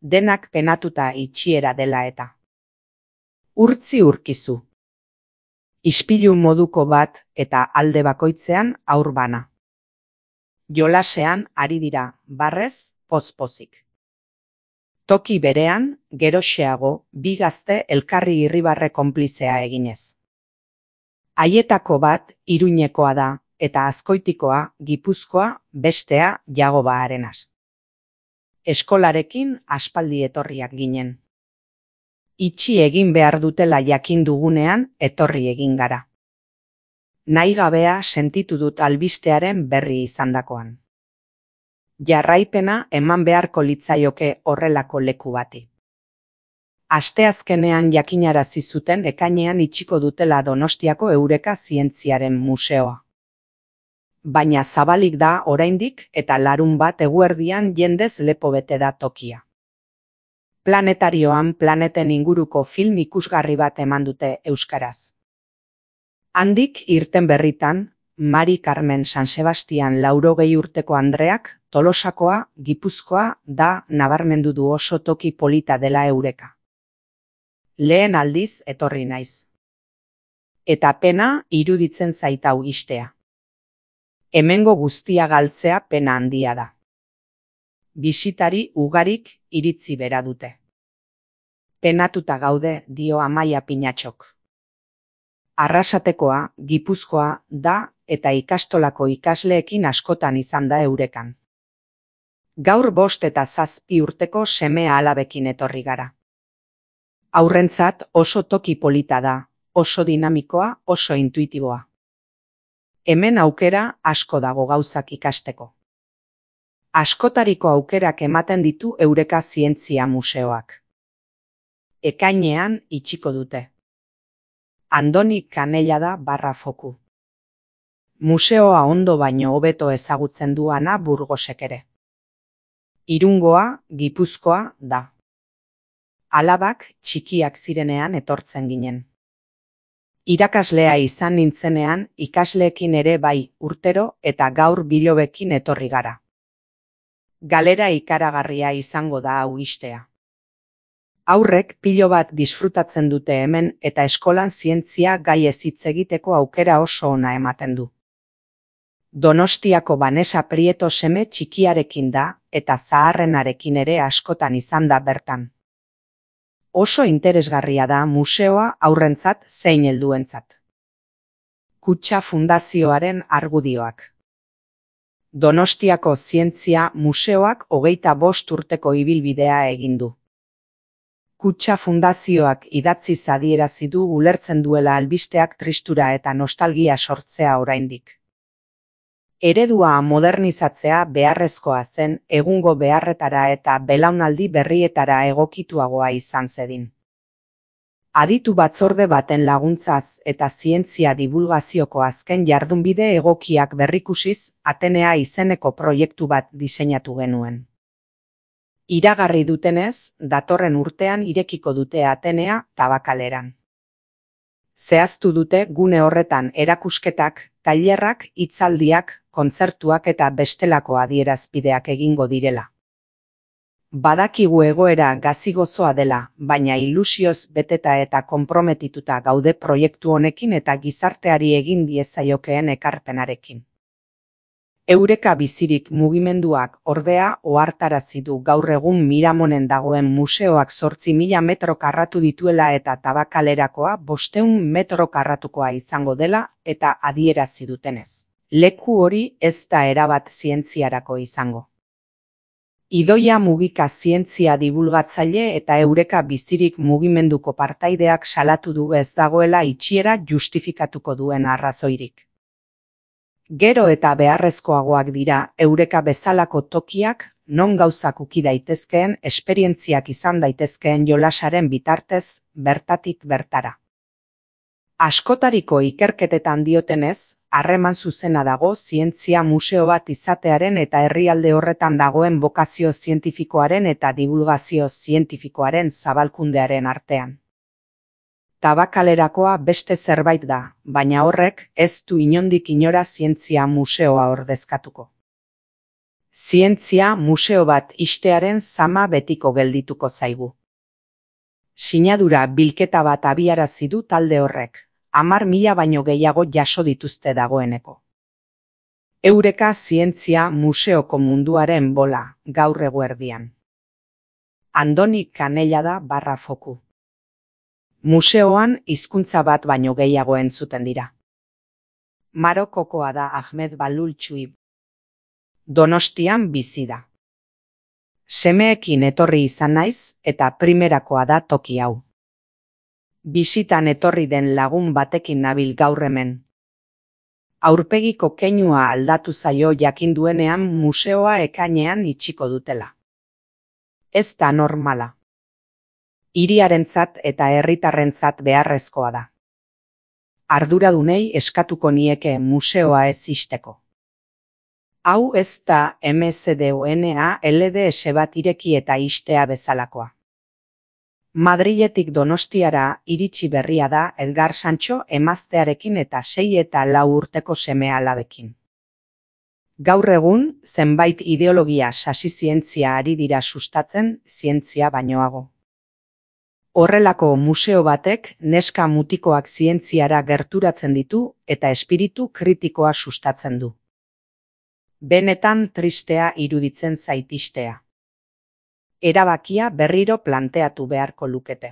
denak penatuta itxiera dela eta. Urtzi urkizu. Ispilu moduko bat eta alde bakoitzean haur bana. Jolasean ari dira, barrez, poz-pozik. Toki berean, geroxeago, bi gazte elkarri irribarre konplizea eginez. Haietako bat Iruñekoa da, eta Azkoitikoa, Gipuzkoa, bestea Jagoba Arenas. Eskolarekin aspaldi etorriak ginen. Itxi egin behar dutela jakin dugunean etorri egin gara. Nahi gabea sentitu dut albistearen berri izandakoan. Jarraipena eman beharko litzaioke horrelako leku bati. Asteazkenean jakinarazi zuten ekainean itxiko dutela Donostiako Eureka Zientziaren Museoa. Baina zabalik da oraindik eta larunbat eguerdian jendez lepo bete da tokia. Planetarioan planeten inguruko film ikusgarri bat eman dute euskaraz. Handik irten berritan, Mari Carmen San Sebastian 80 urteko Andreak Tolosakoa, Gipuzkoa da nabarmendu du oso toki polita dela Eureka. Lehen aldiz etorri naiz. Eta pena iruditzen zaitau istea. Hemengo guztia galtzea pena handia da. Bisitari ugarik iritzi bera dute. Penatuta gaude, dio Amaia Pinatxok. Arrasatekoa, Gipuzkoa da eta ikastolako ikasleekin askotan izan da Eurekan. Gaur 5 eta 7 urteko semea alabekin etorri gara. Haurrentzat oso toki polita da, oso dinamikoa, oso intuitiboa. Hemen aukera asko dago gauzak ikasteko. Askotariko aukerak ematen ditu Eureka Zientzia Museoak. Ekainean itxiko dute. Andoni Kanellada /foku. Museoa ondo baino hobeto ezagutzen du Ana Burgosek ere. Irungoa, Gipuzkoa da. Alabak txikiak zirenean etortzen ginen. Irakaslea izan nintzenean ikasleekin ere bai urtero eta gaur bilobekin etorri gara. Galera ikaragarria izango da hau istea. Aurrek pilo bat disfrutatzen dute hemen eta eskolan zientzia gai ez hitz egiteko aukera oso ona ematen du. Donostiako Vanessa Prieto seme txikiarekin da eta zaharrenarekin ere askotan izan da bertan. Oso interesgarria da museoa haurrentzat zein helduentzat. Kutxa Fundazioaren argudioak. Donostiako Zientzia Museoak 25 urteko ibilbidea egin du. Kutxa Fundazioak idatziz adierazi du ulertzen duela albisteak tristura eta nostalgia sortzea oraindik. Eredua modernizatzea beharrezkoa zen egungo beharretara eta belaunaldi berrietara egokituagoa izan zedin. Aditu batzorde baten laguntzaz eta zientzia divulgazioko azken jardunbide egokiak berrikusiz Atenea izeneko proiektu bat diseinatu genuen. Iragarri dutenez, datorren urtean irekiko dute Atenea Tabakaleran. Zehaztu dute gune horretan erakusketak, tailerrak, hitzaldiak, kontzertuak eta bestelako adierazpideak egingo direla. Badakigu egoera gazi-gozoa dela, baina ilusioz beteta eta konprometituta gaude proiektu honekin eta gizarteari egin diezaiokeen ekarpenarekin. Eureka Bizirik mugimenduak ordea ohartarazi du gaur egun Miramonen dagoen museoak 8.000 metro karratu dituela eta Tabakalerakoa 500 metro karratukoa izango dela eta adierazi dutenez. Leku hori ez da erabat zientziarako izango. Idoia Mugika zientzia divulgatzaile eta Eureka Bizirik mugimenduko partaideak salatu du ez dagoela itxiera justifikatuko duen arrazoirik. Gero eta beharrezkoagoak dira Eureka bezalako tokiak non gauzak uki daitezkeen esperientziak izan daitezkeen jolasaren bitartez bertatik bertara. Askotariko ikerketetan diotenez, harreman zuzena dago zientzia museo bat izatearen eta herrialde horretan dagoen bokazio zientifikoaren eta divulgazio zientifikoaren zabalkundearen artean. Tabakalerakoa beste zerbait da, baina horrek ez du inondik inora zientzia museoa ordezkatuko. Zientzia museo bat ixtearen zama betiko geldituko zaigu. Sinadura bilketa bat abiarazi du talde horrek, 10.000 baino gehiago jaso dituzte dagoeneko. Eureka Zientzia Museoko Munduaren bola, gaur eguerdian. Andoni Canellada /foku. Museoan hizkuntza bat baino gehiago entzuten dira. Marokokoa da Ahmed Balul Txuib. Donostian bizi da. Semeekin etorri izan naiz eta primerakoa da toki hau. Bisitan etorri den lagun batekin nabil gaur hemen. Aurpegiko keinua aldatu zaio jakin duenean museoa ekainean itxiko dutela. Ez da normala. Hiriarentzat eta herritarrentzat beharrezkoa da. Arduradunei eskatuko nieke museoa ez ixteko. Hau ez da MZDONA LDS bat ireki eta ixtea bezalakoa. Madriletik Donostiara iritsi berria da Edgar Sancho emaztearekin eta 6 eta 4 urteko seme-alabekin. Gaur egun, zenbait ideologia sasi zientzia ari dira sustatzen zientzia bainoago. Horrelako museo batek neska mutikoak zientziara gerturatzen ditu eta espiritu kritikoa sustatzen du. Benetan tristea iruditzen zait ixtea. Erabakia berriro planteatu beharko lukete.